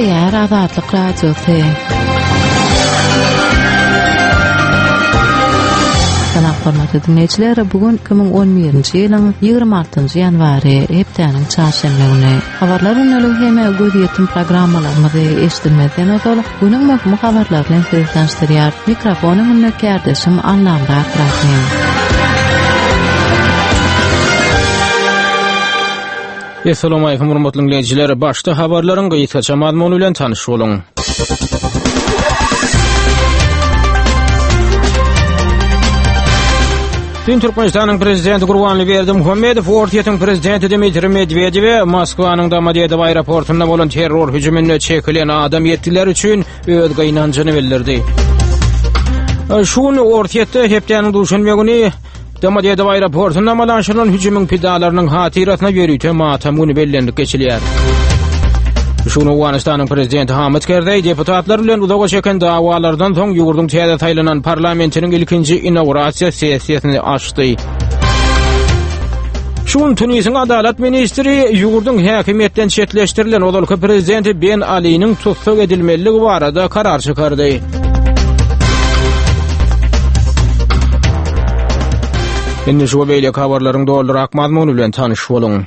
Gepleýär Azatlyk Radiosy. Salam hormatly diňleýjiler, bu gün 2011-nji ýylyň 26-njy ýanwary, hepdäniň çarşenbe güni. Habarlar gündeligi hem gözýetim programmalarymyzy eşidilmezden ozal, günüň möhüm habarlary bilen sizi tanyşdyrýar. Mikrofon öňünde kärdeşim Allamyrat Rahym. Assalamualaikum hormatly dinleýjiler. Başda habarlaryň gysgaça mazmuny bilen tanyş boluň. Dün Türkmenistanyň prezidenti Gurbanly Berdimuhamedow Orsýetiň prezidenti Dmitriý Medwedewe Moskwanyň Domodedowo aeroportunda bolan terror hüjüminde çekilen adam ýetgiler üçin öz gynanjyny bildirdi. Şu gün Orsýetde hepdäniň duşenbe güni Domodedowo aeroportunda amala aşyrylan hüjümiň pidalarynyň hatyrasyna ýörite matam güni bellenilip geçilýär. Şu gün Owganystanyň prezidenti Hamid Kerzeý deputatlar bilen uzaga çeken dawalardan soň ýurduň täze saýlanan parlamentiniň ilkinji inaugurasiýa sessiýasyny açdy. Şu gün Tunisiň adalat ministri ýurduň häkimiýetden çetleşdirilen ozalky prezidenti Ben Aliniň tussag edilmeliligi barada karar çykardy. Indi şu we beýleki habarlaryň dolurak mazmuny bilen tanyş boluň.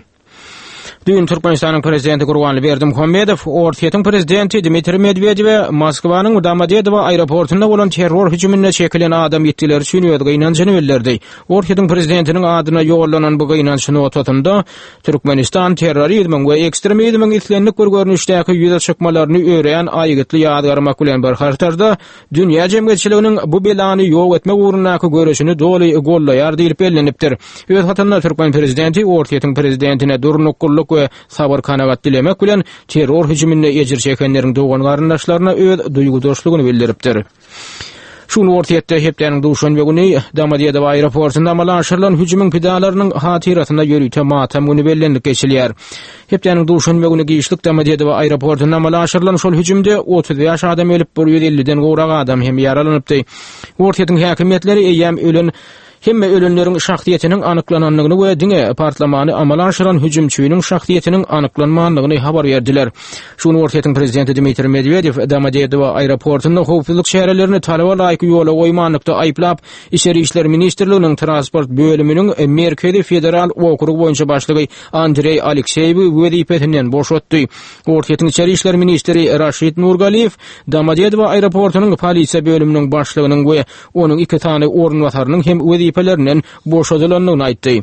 Düýn Türkmenistanyň prezidenti Gurbanly Berdimuhamedow Orsýetiň prezidenti Dmitriý Medwedewe Moskwanyň Domodedowo aeroportunda bolan terror hüjüminde çekilen adam ýitgileri üçin öz gynanjyny bildirdi. Orsýetiň prezidentiniň adyna ýollanan bu gynanç notasynda Türkmenistan terrorizmiň we ekstremizmiň islendik bir görnüşdäki ýüze çykmalaryny örän aýgytly ýazgarmak bilen bir hatarda, dünýä jemgyýetçiliginiň bu belany ýok etmek ugrundaky göreşini doly goldaýar diýlip bellenipdir. Öz hatynda türkmen prezidenti Orsýetiň prezidentine durnuklylyk we sabyr-kanagat dilemek bilen, terror hüjüminde ejir çekenleriň dogan-garyndaşlaryna öz duýgudaşlygyny bildiripdir. Şu gün Orsýetde hepdäniň duşenbe güni Domodedowo aeroportunda amala aşyrylan hüjümiň pidalarynyň hatyrasyna ýörite matam güni bellenilip geçilýär. Hepdäniň duşenbe güni giçlik Domodedowo aeroportunda amala aşyrylan şol hüjümde 35 adam ölüp, 150-den gowrak adam hem ýaralanypdy. Orsýetiň häkimiýetleri eýýäm ölen Hemme ölenleriň şahsyýetiniň anyklanandygyny we diňe partlamany amala aşyran hüjümçiniň şahsyýetiniň anyklanmandygyny habar berdiler. Şu gün Orsýetiň prezidenti Dmitriý Medwedew Domodedowo aeroportunda howpsuzlyk çärelerini talaba laýyk ýola goýmanlykda aýyplap, Içeri işler ministrliginiň transport bölüminiň Merkezi federal okrugy boýunça başlygy Andreý Alekseýewi wezipesinden boşatdy. Orsýetiň içeri işler ministri Raşid Nurgaliýew Domodedowo aeroportunyň polisiýa bölüminiň başlygynyň we Onuň iki sany orunbasarynyň hem wezipelerinden boşadylandygyny aýtdy.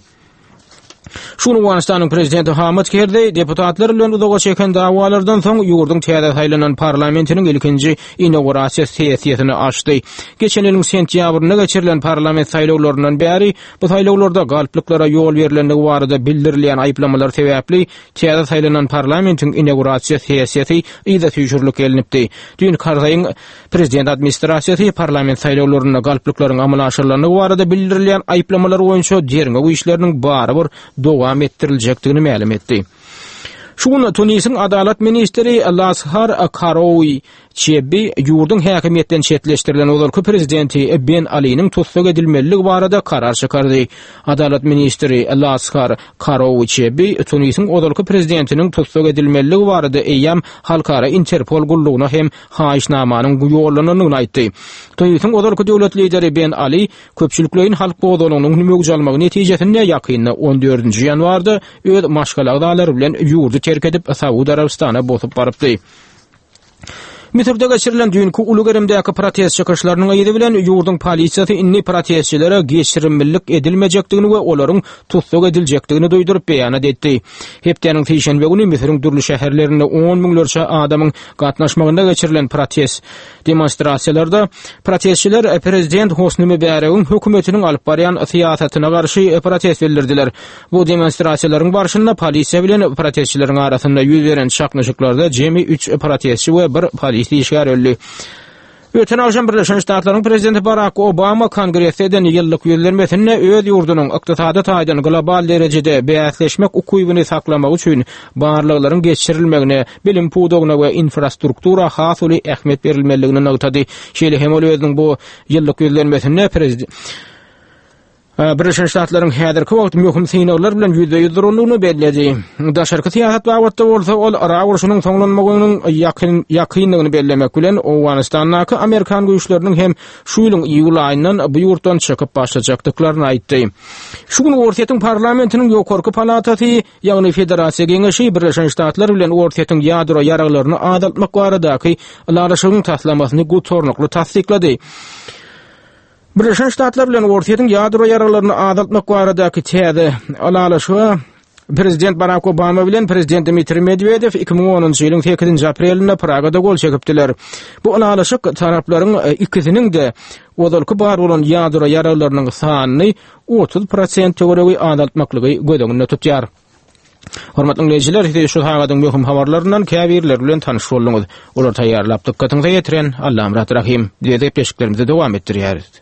Şu gün Owganystanyň prezidenti Hamid Kerzeý deputatlar bilen uzaga çeken dawalardan soň ýurduň täze saýlanan parlamentiniň ilkinji inaugurasiýa sessiýasyny açdy. Geçen ýylyň sentýabrynda geçirilen parlament saýlawlaryndan bäri bu saýlawlarda galplyklara ýol berlendigi barada bildirilýän aýyplamalar sebäpli täze saýlanan parlamentiň inaugurasiýa sessiýasy yza süýşürilip gelnipdi. Düýn Karzaýyň Prezident administrasiýasy parlament saýlawlarynda galplyklaryň amala aşyrylandygy barada bildirilýän aýyplamalar boýunça derňew işleriniň barybir dowam etdiriljekdigini mälim etdi. Şu gün Tunisiň adalat ministri Lashar Karoui Çebbi ýurduň häkimiýetden çetleşdirilen ozalky prezidenti Ben Aliniň tussag edilmeliligi barada karar çykardy. Adalat ministri Lashar Karoui Çebbi Tunisiň ozalky prezidentiniň tussag edilmeliligi barada eýýäm halkara Interpol gullugyna hem haýyşnamanyň ýollanandygyny aýtdy. Tunisiň ozalky döwlet lideri Ben Ali köpçülikleýin halk gozgalaňynyň möwç almagy netijesinde ýakynda on dördünji ýanwarda öz maşgala agzalary bilen ýurdy terk edip, Saud Arabystana bosup barypdy. Müsürde geçirilen düýnki uly gerimdäki protest çykyşlarynyň yzy bilen ýurduň polisiýasy indi protestçilere geçirimlilik edilmejekdigini we olaryň tussag ediljekdigini duýduryp beýanat etdi. Hepdäniň sişenbe güni Müsüriň dürli şäherlerinde on müňlerçe adamyň gatnaşmagynda geçirilen protest demonstrasiýalarda protestçiler prezident Hosni Mübäregiň hökümetiniň alyp barýan syýasatyna garşy protest bildirdiler. Bu demonstrasiýalaryň barşynda polisiýa bilen protestçileriň arasynda ýüz beren çaknyşyklarda jemi üç protestçi we bir polis işgäri öldi. Öten agşam Birleşen Ştatlaryň prezidenti Barak Obama Kongresde eden ýyllyk ýüzlenmesinde öz ýurdunyň ykdysady taýdan global derejede bäsleşmek ukybyny saklamak üçin barlaglaryň geçirilmegine, bilim pudagyna we infrastruktura has uly ähmiýet berilmelidigini nygtady. Şeýle hem ol özüniň bu ýyllyk ýüzlenmesinde. Birleşen Ştatlaryň häzirki wagt möhüm synaglar bilen ýüzbe-ýüz durandygyny belledi. Daşarky syýasat babatda bolsa ol Yrak urşunyň soňlanmagynyň ýakyn ýakyndygyny bellemek bilen, Owganystandaky amerikan güýçleriniň hem şu ýylyň iýul aýyndan bu ýurtdan çykyp başlajakdyklaryny aýtdy. Şu gün Orsýetiň parlamentiniň ýokarky palatasy, ýagny Federasiýa Geňeşi Birleşen Ştatlar bilen Orsýetiň ýadro ýaraglaryny azaltmak baradaky ylalaşygyň taslamasyny gutarnykly tassyklady. Birleşen Ştatlar bilen Orsýetiň ýadro ýaraglaryny azaltmak baradaky täze ylalaşyga Prezident Barak Obama bilen Prezident Dmitriý Medwedew 2010-njy ýylyň 8-nji aprelinde Pragada gol çekipdiler. Bu ylalaşyk taraplaryň e, ikisiniň-de ozalky bar bolan ýadro ýaraglarynyň sanyny 30 prosent töweregi azaltmaklygy göz öňünde tutýar. Hormatly diňleýjiler, siz şu sagadyň möhüm habarlaryndan käbirleri bilen tanyş bolduňyz. Olary taýýarlap dykgatyňyza ýetiren Allamyrat Rahym. Biz gepleşiklerimizi dowam etdirýäris.